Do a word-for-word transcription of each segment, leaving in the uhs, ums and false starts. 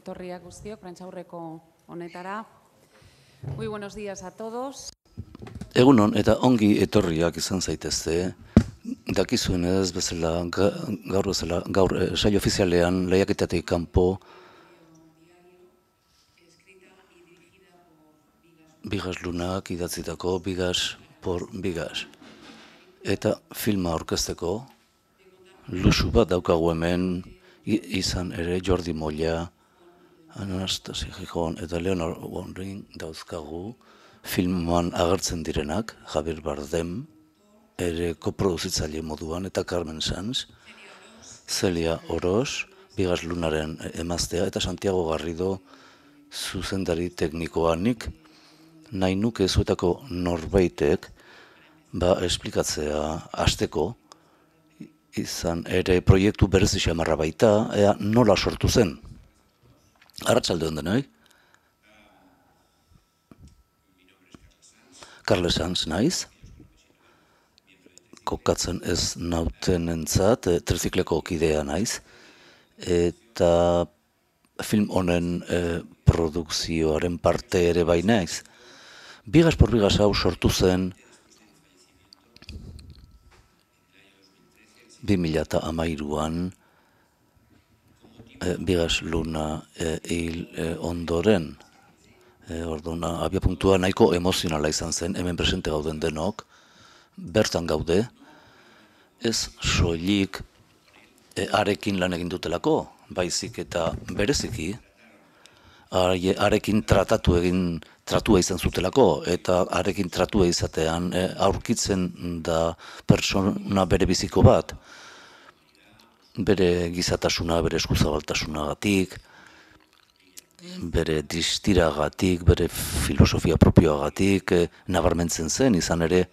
etorriak guztiok, prentsaurreko honetara. Muy buenos días a todos. Egunon eta ongi etorriak izan zaitezte. Dakizuen ez bezala, gaur bezala, gaur saio ofizialean lehiaketatik kanpo Bigas Lunak idatzitako Bigas por Bigas. Eta filma aurkezteko luxu bat daukagu hemen, izan ere Jordi Molla, Anastasia Gijon eta Leonard Wondring dauzkagu filman agertzen direnak, Javier Bardem, ere koproduzitzaile moduan, eta Carmen Sanz, Celia Oroz, Bigas Lunaren emaztea, eta Santiago Garrido zuzendari teknikoanik. Nahi nuke zuetako norbaitek ba esplikatzea hasteko, izan ere proiektu berezi xamarra baita, ea nola sortu zen. Arratsalde on denoi. Carles Sanz naiz. Kokatzen ez nautenentzat, trizikleko kidea naiz. Eta film honen eh, produkzioaren parte ere bai naiz. Bigas por Bigas hau sortu zen bi mila hamairuan e, Bigas Luna e, hil e, ondoren. E, Orduan, abiapuntua nahiko emozionala izan zen, hemen presente gauden denok, bertan gaude, ez soilik e, arekin lan egin dutelako, baizik eta bereziki, are, arekin tratatu egin, tratua izan zutelako, eta arekin tratua izatean e, aurkitzen da pertsona bere biziko bat, bere gizatasuna, bere eskuzabaltasunagatik, bere distiragatik, bere filosofia propioagatik, e, nabarmentzen zen, izan ere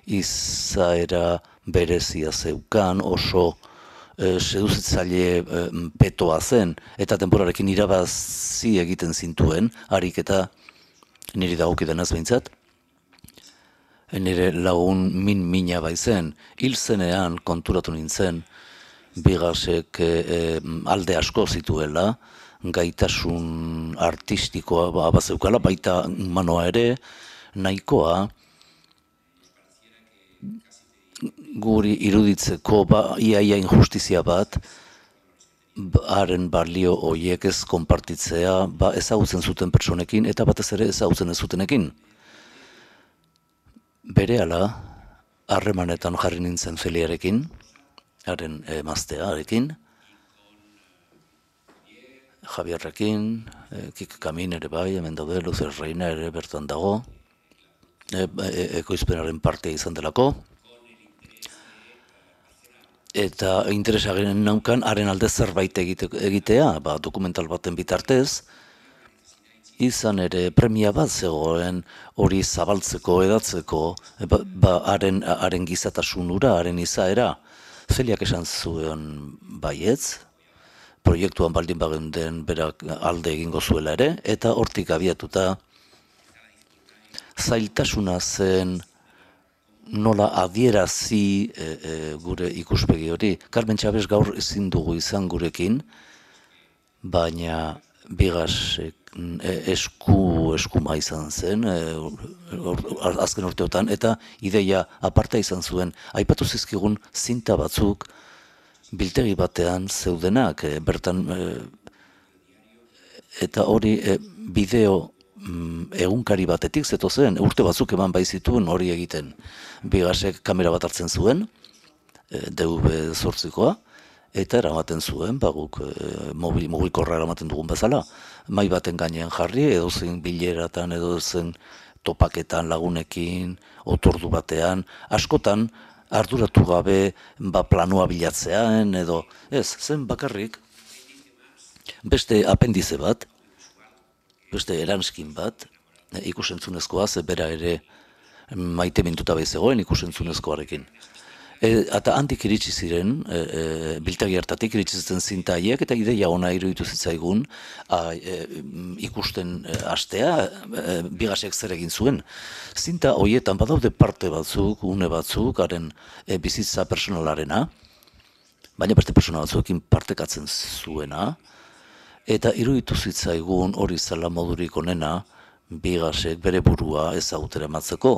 izaera berezia zeukan, oso e, seduzitzaile e, petoa zen, eta denborarekin irabazi egiten zintuen, harik eta niri dagokidanaz behintzat, nire lagun min-mina baizen, hil zenean konturatu nintzen, Bigasek e, alde asko zituela, gaitasun artistikoa bazeukala, baita humanoa ere, nahikoa, guri iruditzeko ba, iaia injustizia bat, haren balio horiek ez konpartitzea, ba ezagutzen zuten pertsonekin eta batez ere ezagutzen ez zutenekin. Berehala, harremanetan jarri nintzen Feliarekin, haren emaztearekin, Javierrekin, e, Kik Kamin ere bai, hemen daude, Luzer Reina ere bertan dago, e, e, ekoizpenaren parte izan delako, eta interesaginen naukan haren alde zerbait egite, egitea, ba, dokumental baten bitartez, izan ere premia bat zegoen hori zabaltzeko, edatzeko, e, ba, ba, haren, haren gizatasunura, haren izaera. Feliak esan zuen baietz, proiektuan baldin bageunden berak alde egingo zuela ere, eta hortik abiatuta zailtasuna zen nola adierazi e, e, gure ikuspegi hori. Carmen Txabez gaur ezin dugu izan gurekin, baina Bigasek e, esku eskuma izan zen e, or, azken urteotan, eta ideia aparta izan zuen, aipatu zizkigun zinta batzuk biltegi batean zeudenak, e, bertan e, eta hori e, bideo mm, egunkari batetik zeto zen, urte batzuk eman baizituen hori egiten. Bigasek kamera bat hartzen zuen, e, D V zortzikoa, eta eramaten zuen, baguk e, mobil, mobilkorra eramaten dugun bezala, mai baten gainean jarri, edo zen bileratan, edo zen topaketan lagunekin, otordu batean, askotan arduratu gabe ba, planua bilatzean, edo ez, zen bakarrik, beste apendize bat, beste eranskin bat, e, ikusentzunezkoa, ze bera ere maite mintuta baizegoen ikusentzunezkoarekin. E, eta handik iritsi ziren, e, e, biltegi hartatik iritsi ziren zinta haiek, eta ideia ona iruditu zitzaigun a, e, ikusten e, hastea, e, Bigasek zer egin zuen. Zinta horietan badaude parte batzuk, une batzuk, haren e, bizitza personalarena, baina beste persona batzuekin partekatzen zuena, Eta iruditu zitzaigun hori zela modurik onena, Bigasek bere burua ezagutera ematzeko.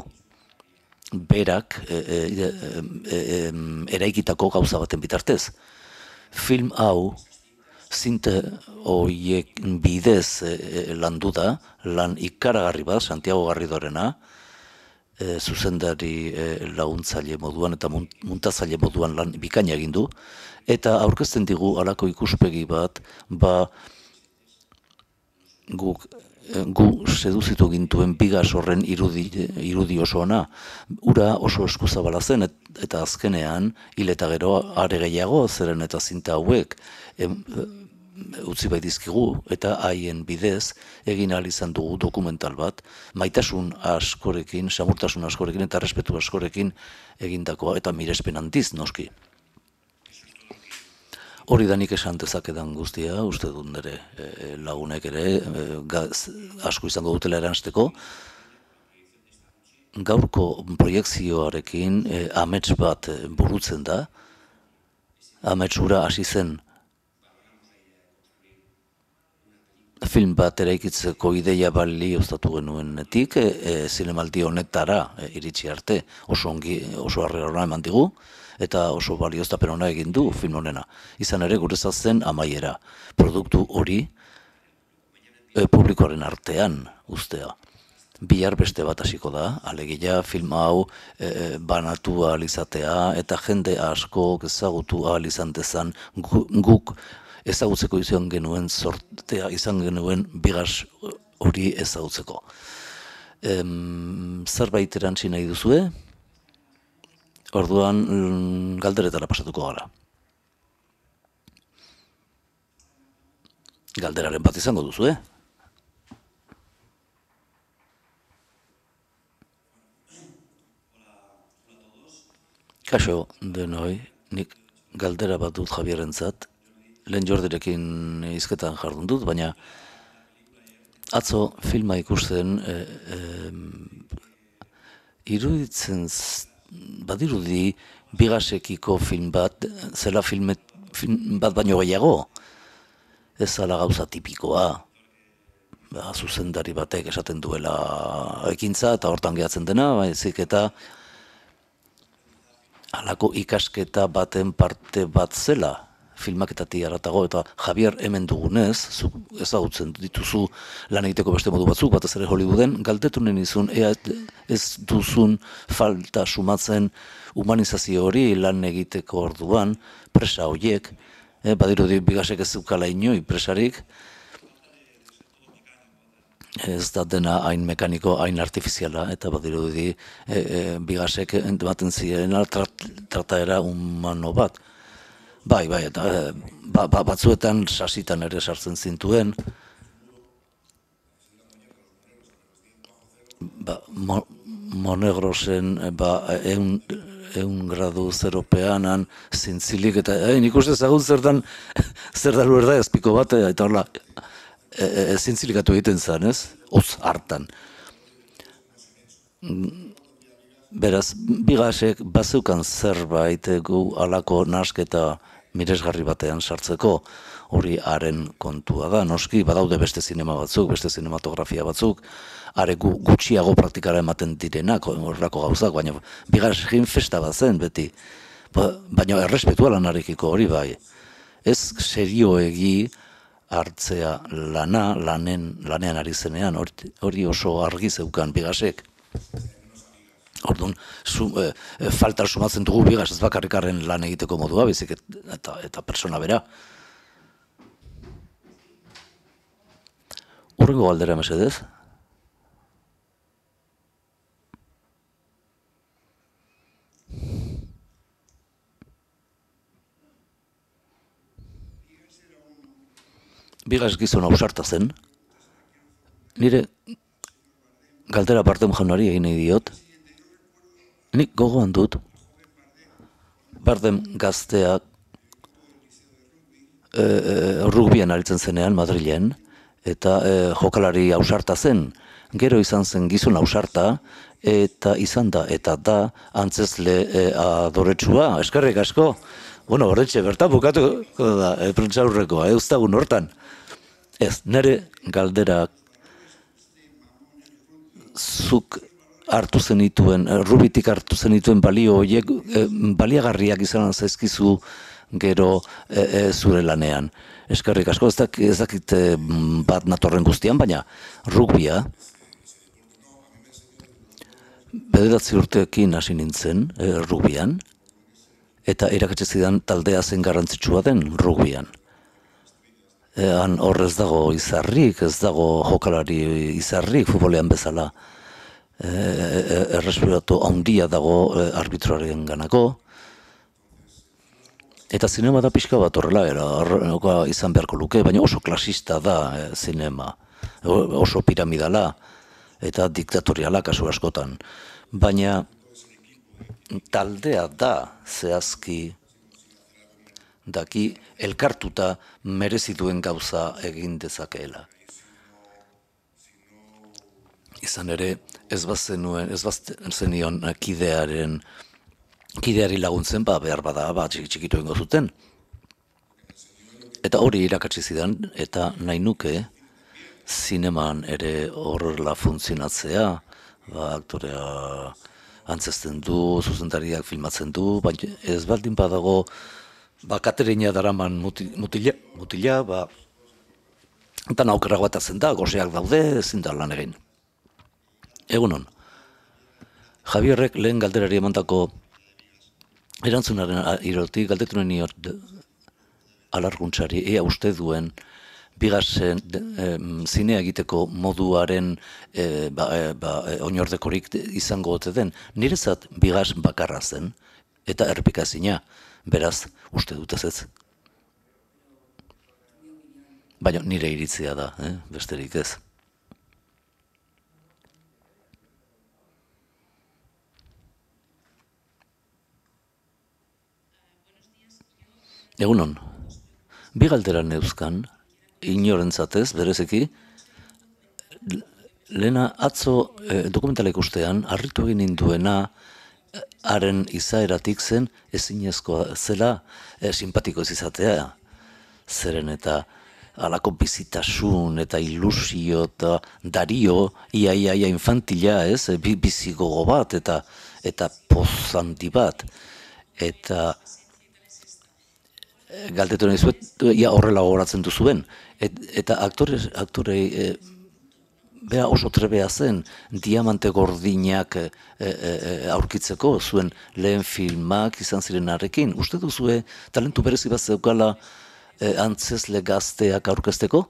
Berak e, e, e, e, eraikitako gauza baten bitartez. Film hau, zinte horiek bidez e, e, landu da, lan ikaragarri bat, Santiago Garridorena, e, zuzendari e, laguntzaile moduan eta muntatzaile moduan lan bikaina egin du, eta aurkezten digu halako ikuspegi bat, ba guk gu seduzitu gintuen Bigas horren irudi, irudi oso ona. Ura oso eskuzabala zen, et, eta azkenean, hil eta gero are gehiago, zeren eta zinta hauek em, utzi bai dizkigu, eta haien bidez egin ahal izan dugu dokumental bat, maitasun askorekin, samurtasun askorekin eta respetu askorekin egindakoa, eta mirespen handiz noski. Hori da nik esan dezakedan guztia, uste dut nire e, lagunek ere e, gaz, asko izango dutela eransteko. Gaurko proiekzioarekin e, amets bat e, burutzen da. Ametsura hasi zen film bat eraikitzeko ideia bali ostatu genuenetik, e, e, zinemaldi honetara e, iritsi arte oso ongi, oso harrera eman digu, eta oso balioztapen ona egin du film honena. Izan ere guretzat zen amaiera. Produktu hori e, publikoaren artean ustea. Bihar beste bat hasiko da, alegia film hau e, banatu ahal izatea eta jende asko ezagutu ahal izan dezan gu, guk ezagutzeko izan genuen sortea izan genuen Bigas hori ezagutzeko. Em, zerbait erantzi nahi duzue? Orduan galderetara pasatuko gara. Galderaren bat izango duzu, eh? Kaixo, denoi, nik galdera bat dut Javierentzat, lehen Jordirekin hizketan jardun dut, baina atzo filma ikusten e, e, iruditzen badirudi Bigasekiko film bat, zela filme, film bat baino gehiago. Ez zala gauza tipikoa. Ba, zuzendari batek esaten duela ekintza eta hortan gehatzen dena, baizik eta halako ikasketa baten parte bat zela filmaketatik haratago, eta Javier hemen dugunez, zuk ezagutzen dituzu lan egiteko beste modu batzuk, batez ere Hollywooden, galdetunen izun, ea ez duzun falta sumatzen humanizazio hori lan egiteko orduan, presa horiek, eh, badirudi Bigasek ez zukala inoi presarik, ez da dena hain mekaniko, hain artifiziala, eta badirudi e, e, Bigasek ematen ziren trataera humano bat. Bai, bai, eta ba, ba, batzuetan sasitan ere sartzen zintuen. Ba, mo, Monegrosen ba, eun, eun gradu zeropeanan zintzilik, eta eh, nik uste zagun zertan, zer da luerda ezpiko bat, eta horla, e, e, zintzilikatu egiten zen, ez? Oz hartan. Beraz, Bigasek bazeukan zerbait gu alako nasketa miresgarri batean sartzeko, hori haren kontua da. Noski, badaude beste zinema batzuk, beste zinematografia batzuk, are gu, gutxiago praktikara ematen direnak, horrako gauzak, baina Bigasekin festa bat zen beti. Ba, baina errespetua lanarekiko hori bai. Ez serioegi hartzea lana, lanen, lanean ari zenean, hori, hori oso argi zeukan Bigasek. Orduan, su, e, e, falta sumatzen dugu Bigas ez bakarrikarren lan egiteko modua, bizik eta, eta persona bera. Hurrengo galdera mesedez. Bigas gizon ausarta zen. Nire galdera Bardem jaunari egin nahi diot. Nik gogoan dut, Bardem gazteak e, e, rugbian aritzen zenean Madrilen, eta e, jokalari ausarta zen. Gero izan zen gizon ausarta, eta izan da, eta da, antzezle e, adoretsua, eskerrik asko. Bueno, horretxe, bertan bukatu da, e, prentsaurrekoa, e, uztagun hortan. Ez, nire galderak zuk hartu zenituen, Rubitik hartu zenituen balio horiek e, baliagarriak izan zaizkizu gero e, e, zure lanean. Eskerrik asko, ez dakit, ez dakit e, bat natorren guztian, baina rugbia bederatzi urteekin hasi nintzen e, rugbian, eta irakatsi zidan taldea zen garrantzitsua den rugbian. E, han hor ez dago izarrik, ez dago jokalari izarrik futbolean bezala. E, e, errespiratu handia dago e, arbitroaren ganako. Eta zinema da pixka bat horrela, era, horrela izan beharko luke, baina oso klasista da e, zinema, oso piramidala eta diktatoriala kasu askotan. Baina taldea da zehazki daki elkartuta merezi duen gauza egin dezakeela. Izan ere, ez bazenuen, ez bazenion kidearen kideari laguntzen, ba, behar bada, ba, txikitu egingo zuten. Eta hori irakatsi zidan, eta nahi nuke, zineman ere horrela funtzionatzea, ba, aktorea antzesten du, zuzendariak filmatzen du, baina ez baldin badago, ba, katerina daraman mutila, mutila, ba, eta naukera batatzen da, goseak daude, ezin da lan egin. Egunon, Javierrek lehen galderari emandako erantzunaren irotik galdetu nahi niot alarguntzari, ea uste duen bigasen e, zinea egiteko moduaren e, ba, e, ba, e, oinordekorik izango ote den. Nirezat bigas bakarra zen eta errepikazina, beraz uste dut ez ez. Baina nire iritzia da, eh? Besterik ez. Egunon, bi galdera neuzkan, inorentzatez, berezeki, lehena atzo e, dokumentala ikustean, harritu egin ninduena haren izaeratik zen ezinezkoa zela e, simpatiko ez izatea. Zeren eta halako bizitasun eta ilusio eta dario, ia, ia, ia infantila, ez, e, bizigogo bat eta, eta pozanti bat. Eta galdetu nahi zuet, ja horrela gogoratzen duzuen. Et, eta aktore, aktorei e, bea oso trebea zen diamante gordinak e, e, aurkitzeko zuen lehen filmak izan zirenarekin. Uste duzue talentu berezi bat zeukala e, antzezle gazteak aurkezteko?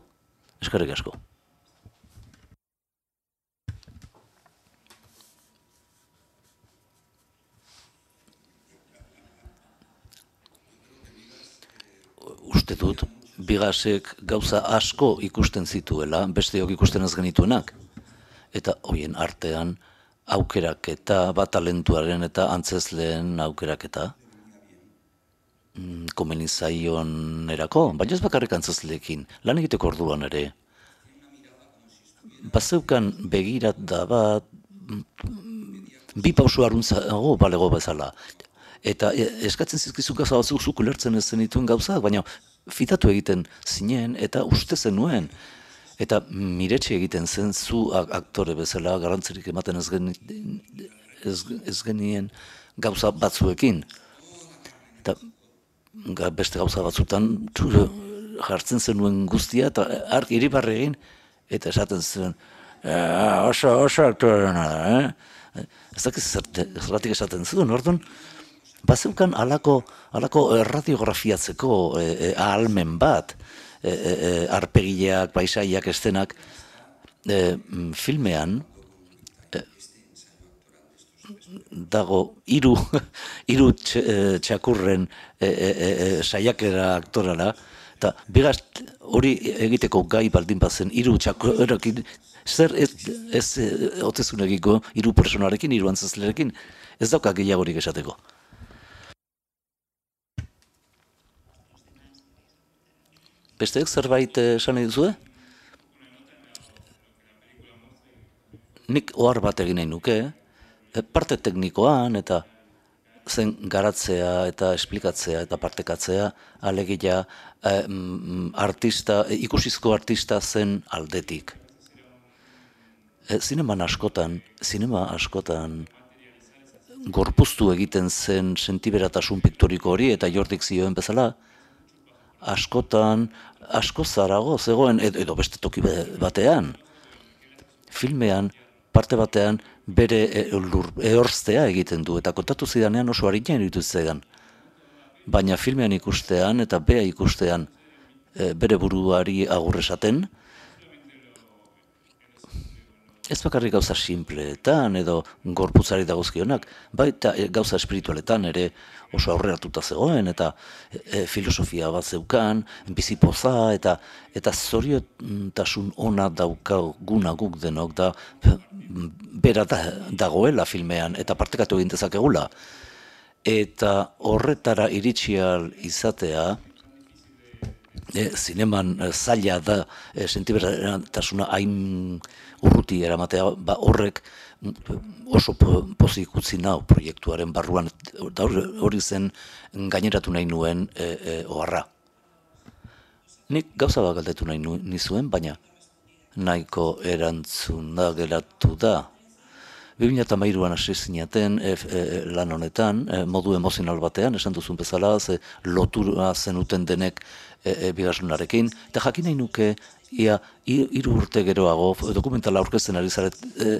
Eskerrik asko. Uste dut, bigasek gauza asko ikusten zituela, besteok ikusten ez genituenak. Eta hoien artean aukeraketa, bat talentuaren eta antzezleen aukeraketa. Komeni zaion erako, baina ez bakarrik antzezleekin, lan egiteko orduan ere. Bazeukan begirat da bat, bi pausu aruntzago balego bezala. Eta eskatzen zizkizu gauza batzuk zuk ulertzen ez zenituen gauzak, baina fitatu egiten zinen eta uste zenuen. Eta miretxe egiten zen zu aktore bezala garrantzirik ematen ez, geni, ez, ez genien gauza batzuekin. Eta beste gauza batzutan jartzen zenuen guztia eta ark iribarre egin eta esaten zen oso, oso aktorena da, eh? Ez dakiz zergatik esaten zuen, orduan, bazeukan alako, alako radiografiatzeko e, ahalmen bat, e, e, arpegileak, paisaiak, estenak, e, filmean e, dago hiru hiru txakurren e, e, e, saiakera aktorala, eta bigaz hori egiteko gai baldin bazen hiru txakurrekin, zer ez, ez otezun egiko hiru personarekin, hiru antzezlerekin, ez dauka gehiagorik esateko. Besteek zerbait esan nahi duzue? Nik ohar bat egin nahi nuke, parte teknikoan eta zen garatzea eta esplikatzea eta partekatzea, alegia eh, mm, artista, eh, ikusizko artista zen aldetik. E, zineman askotan, zinema askotan gorpuztu egiten zen sentiberatasun piktoriko hori, eta Jordik zioen bezala, askotan, asko zarago zegoen, edo beste toki batean, filmean, parte batean, bere ehorztea egiten du, eta kontatu zidanean oso harinen iruditu zidan. Baina filmean ikustean eta bea ikustean bere buruari agur esaten, ez bakarrik gauza simpleetan edo gorputzari dagozkionak, baita gauza espiritualetan ere oso aurreratuta zegoen, eta e, filosofia bat zeukan, bizipoza, eta eta zoriotasun ona daukaguna guk denok, da bera da, dagoela filmean, eta partekatu egin dezakegula. Eta horretara iritsi ahal izatea, e, zineman e, zaila da e, sentibertasuna hain urruti eramatea, ba, horrek oso pozik utzi nau proiektuaren barruan, eta hori zen gaineratu nahi nuen e, e, oharra. Nik gauza bat galdetu nahi nizuen, baina nahiko erantzuna geratu da. bi mila hamairuan hasi zinaten e, e, lan honetan, e, modu emozional batean, esan duzun bezala, ze lotura zenuten denek e, e, bigarrenarekin, eta jakin nahi nuke, ia hiru urte geroago, dokumentala aurkezten ari zaret, e,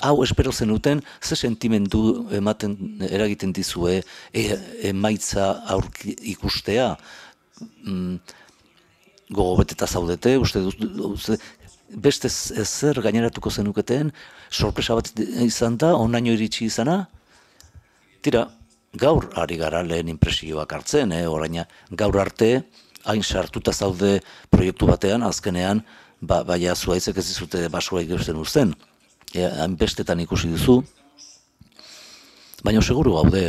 hau espero zenuten, ze sentimendu ematen eragiten dizue, e, emaitza aurki ikustea, mm, gogobeteta zaudete, uste dut, beste zer gaineratuko zenuketen, sorpresa bat izan da, onaino iritsi izana? Tira, gaur ari gara lehen impresioak hartzen, eh? Oraina, gaur arte, hain sartuta zaude proiektu batean, azkenean, ba, baina zuaitzek ez dizute basua ikusten uzten. E, hain bestetan ikusi duzu, baina seguru gaude,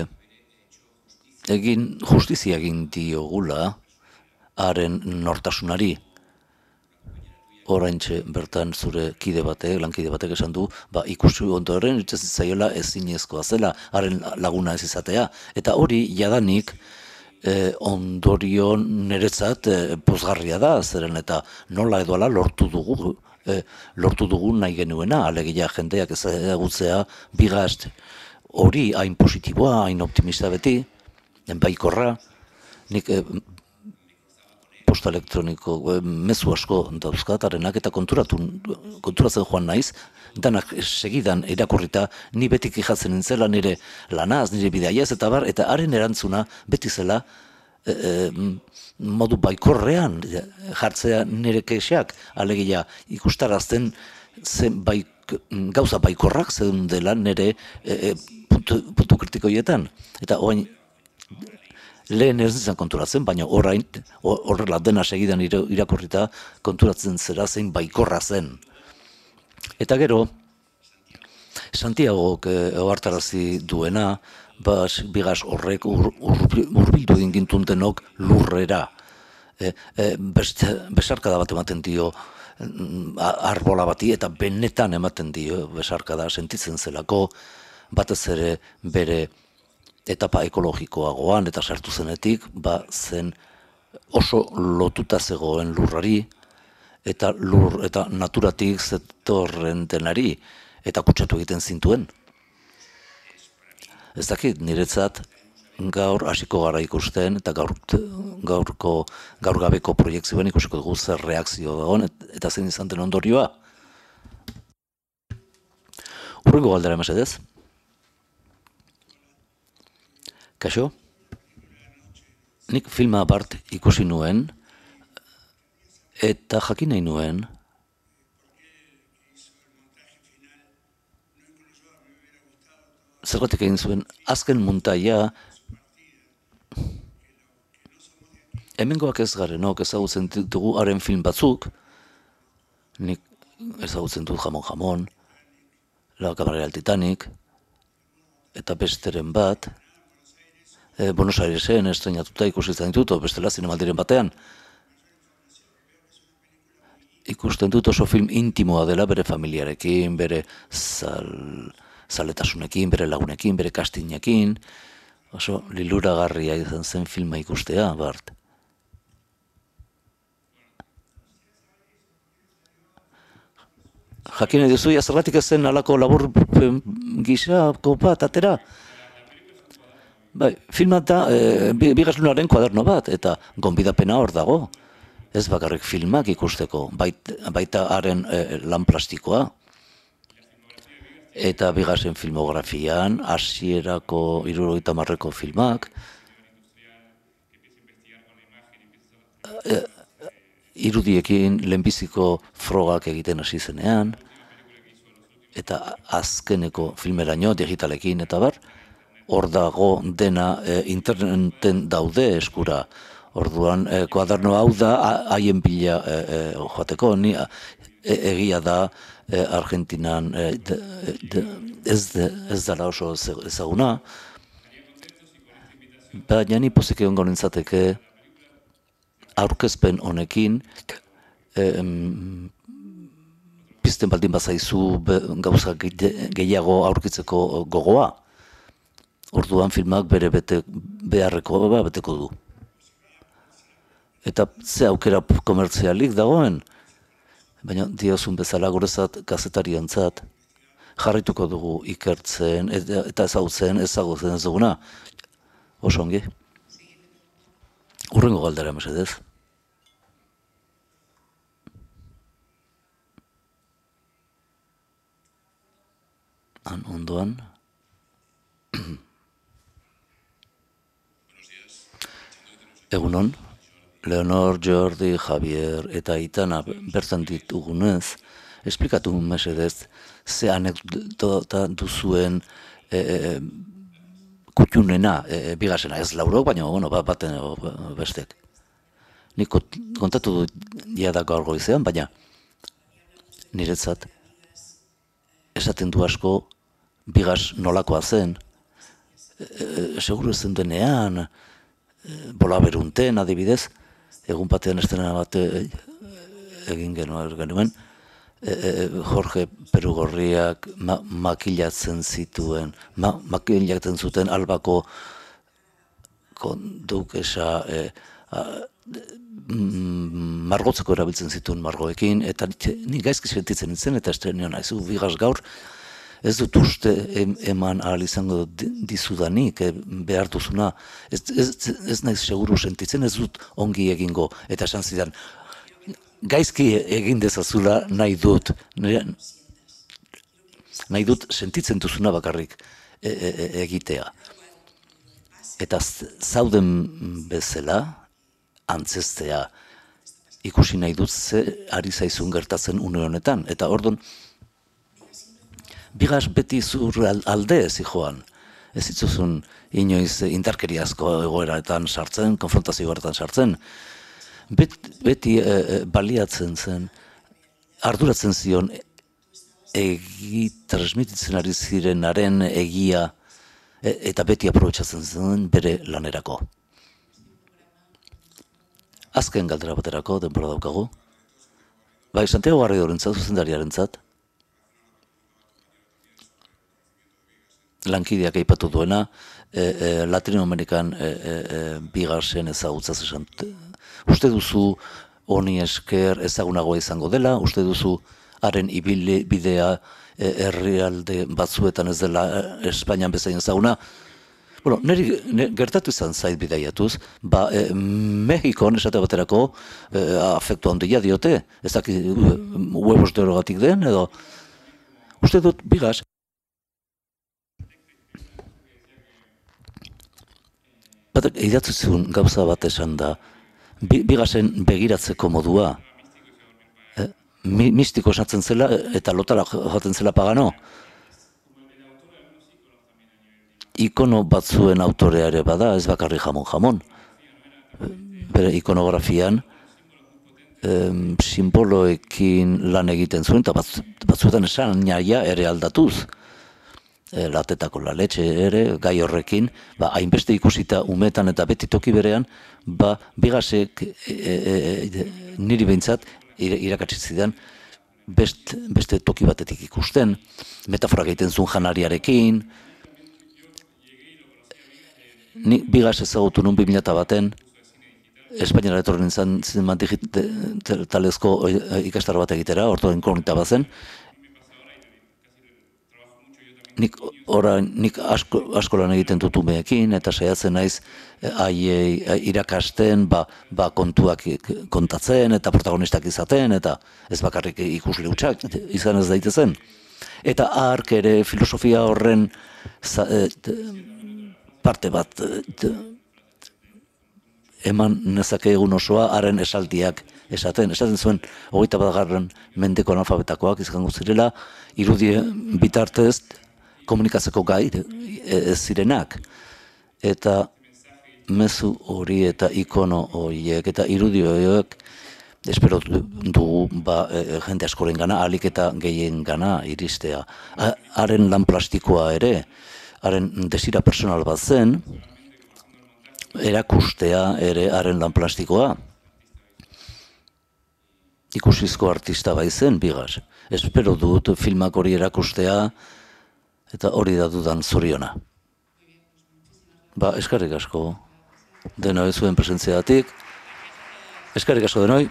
egin justizia egin diogula, haren nortasunari. Oraintxe bertan zure kide batek, lankide batek esan du, ba, ikusi ondoren itxez zaiola ezinezkoa zela, haren laguna ez izatea. Eta hori jadanik eh, ondorio niretzat eh, pozgarria da, zeren eta nola edoala lortu dugu, eh, lortu dugu nahi genuena, alegia jendeak ezagutzea bigast hori hain positiboa, hain optimista beti, baikorra, nik eh, posta elektroniko, mezu asko dauzkatarenak, eta konturatu, konturatzen joan naiz, danak segidan irakurrita, ni beti kijatzen nintzela nire lanaz, nire bidaiaz, eta bar, eta haren erantzuna beti zela e, e, modu baikorrean jartzea nire kexeak, alegia ikustarazten zen baik, gauza baikorrak zen dela nire e, e, puntu, puntu kritikoietan. Eta oain, lehen ez izan konturatzen, baina orain horrela dena segidan irakurrita konturatzen zera zein baikorra zen. Eta gero, Santiagok ohartarazi duena, bas, bigas horrek ur, ur, urbildu egin gintun denok lurrera. E, e, best, besarkada bat ematen dio arbola bati, eta benetan ematen dio besarkada sentitzen zelako, batez ere bere etapa ekologikoagoan eta sartu zenetik, ba zen oso lotuta zegoen lurrari, eta lur eta naturatik zetorren denari, eta kutsatu egiten zintuen. Ez dakit, niretzat gaur hasiko gara ikusten, eta gaur, gaurko, gaur gabeko proiektzioan ikusiko dugu zer reakzio dagoen, eta zein izan den ondorioa. Hurrengo galdera mesedez. Kaixo, nik filma bart ikusi nuen, eta jakin nahi nuen, zergatik egin zuen, azken muntaia, hemengoak ez garenok ezagutzen ditugu haren film batzuk, nik ezagutzen dut jamon-jamon, La Camarera del Titanic, eta besteren bat, E, Buenos Airesen estrenatuta ikusten ditut, bestela zinemaldiren batean. Ikusten dut oso film intimoa dela bere familiarekin, bere zal, zaletasunekin, bere lagunekin, bere kastinekin, Oso liluragarria izan zen filma ikustea, Bart. Jakin nahi duzu, zergatik ez zen alako labur gisako bat, atera? Bai, filma da, e, Bigaslunaren kuaderno bat, eta gonbidapena hor dago. Ez bakarrik filmak ikusteko, bait, baita haren e, lan plastikoa. Eta Bigasen filmografian, hasierako hirurogeita hamarreko filmak, e, irudiekin lehenbiziko frogak egiten hasi zenean, eta azkeneko filmeraino digitalekin, eta bar, hor dago dena e, interneten daude eskura. Orduan, e, kuaderno hau da, haien bila e, e, joateko, ni e, egia da e, Argentinan e, de, de, ez, de, ez dara oso ezaguna, baina ni pozik egon nintzateke aurkezpen honekin e, pizten baldin bazaizu gauza gehiago aurkitzeko gogoa. Orduan filmak bere bete, beharreko ba, beteko du. Eta ze aukera komertzialik dagoen, baina diozun bezala gurezat gazetariantzat jarrituko dugu ikertzen eta, eta ezagutzen ezagutzen ez duguna. Oso ongi. Urrengo galdera mesedez. Han ondoan. Egunon, Leonor, Jordi, Javier eta Aitana bertan ditugunez, esplikatu mesedez, ze anekdota duzuen e, e, kutxunena, e, Bigasena, ez laurok, baina bueno, baten bestek. Nik kontatu dut jada gaur goizean, baina niretzat esaten du asko Bigas nolakoa zen, e, e, seguru zen denean, bola berunten, adibidez, egun batean estena bat egin genuen, Jorge Perugorriak ma, makilatzen zituen, ma, makilatzen zuten Albako kondukesa e, a, margotzeko erabiltzen zituen margoekin, eta ni gaizki sentitzen nintzen, eta estrenio nahizu, Bigas gaur, ez dut uste eman ahal izango dizudanik, e, behar duzuna, ez, ez, ez naiz seguru sentitzen, ez dut ongi egingo, eta esan zidan, gaizki egin dezazula nahi dut, nahi dut sentitzen duzuna bakarrik e, e, egitea. Eta zauden bezala, antzestea, ikusi nahi dut ze ari zaizun gertatzen une honetan, eta ordon, Bigas beti zur alde ez joan. Ez zitzuzun inoiz indarkeriazko egoeratan sartzen, konfrontazio egoeratan sartzen. Bet, beti e, e, baliatzen zen, arduratzen zion egi transmititzen ari zirenaren egia e, eta beti aprobetxatzen zen bere lanerako. Azken galdera baterako, denbora daukagu. Bai, Santiago Garridorentzat, zuzendariarentzat, lankideak aipatu duena, e, e, Latinoamerikan e, e, Bigasen ezagutzaz esan. Uste duzu honi esker ezagunagoa izango dela, uste duzu haren ibilbidea e, herrialde batzuetan ez dela Espainian bezain ezaguna. Bueno, niri ne, gertatu izan zait bidaiatuz, ba, e, Mexikon esate baterako e, afektu handia diote, ez daki huevos de orogatik den, edo uste dut Bigas, batak idatzu zuen gauza bat esan da, Bigasen begiratzeko modua, eh, mi, mistiko esatzen zela eta lotara joaten zela Pagano. Ikono batzuen autorea ere bada, ez bakarri jamon-jamon. Bere ikonografian em, simboloekin lan egiten zuen, eta batz, batzuetan esan naia ere aldatuz. E, latetako la letxe ere, gai horrekin, ba, hainbeste ikusita umetan eta beti toki berean, ba, Bigasek e, e, e, niri behintzat irakatsi zidan best, beste toki batetik ikusten, metafora egiten zuen janariarekin, Ni Bigas ezagutu nun bi mila baten, Espainiara etorri nintzen zinema digitalezko ikastaro bat egitera, orto inkognita bazen. Nik orain, nik asko, asko lan egiten dut umeekin, eta saiatzen naiz haiei irakasten, ba, ba kontuak kontatzen, eta protagonistak izaten, eta ez bakarrik ikusle hutsak izan ez daitezen. Eta hark ere filosofia horren za, et, parte bat et, eman nezake egun osoa haren esaldiak esaten. Esaten zuen, hogeita batgarren mendeko analfabetakoak izango zirela, irudie bitartez komunikatzeko gai ez zirenak. Eta mezu hori eta ikono horiek eta irudi horiek espero dugu ba, e, jende askoren gana, ahalik eta gehien gana iristea. Haren lan plastikoa ere, haren desira personal bat zen, erakustea ere haren lan plastikoa. Ikusizko artista bai zen, Bigas. Espero dut filmak hori erakustea, eta hori da dudan zoriona. Ba, eskerrik asko denoi zuen presentziatik. Eskerrik asko denoi.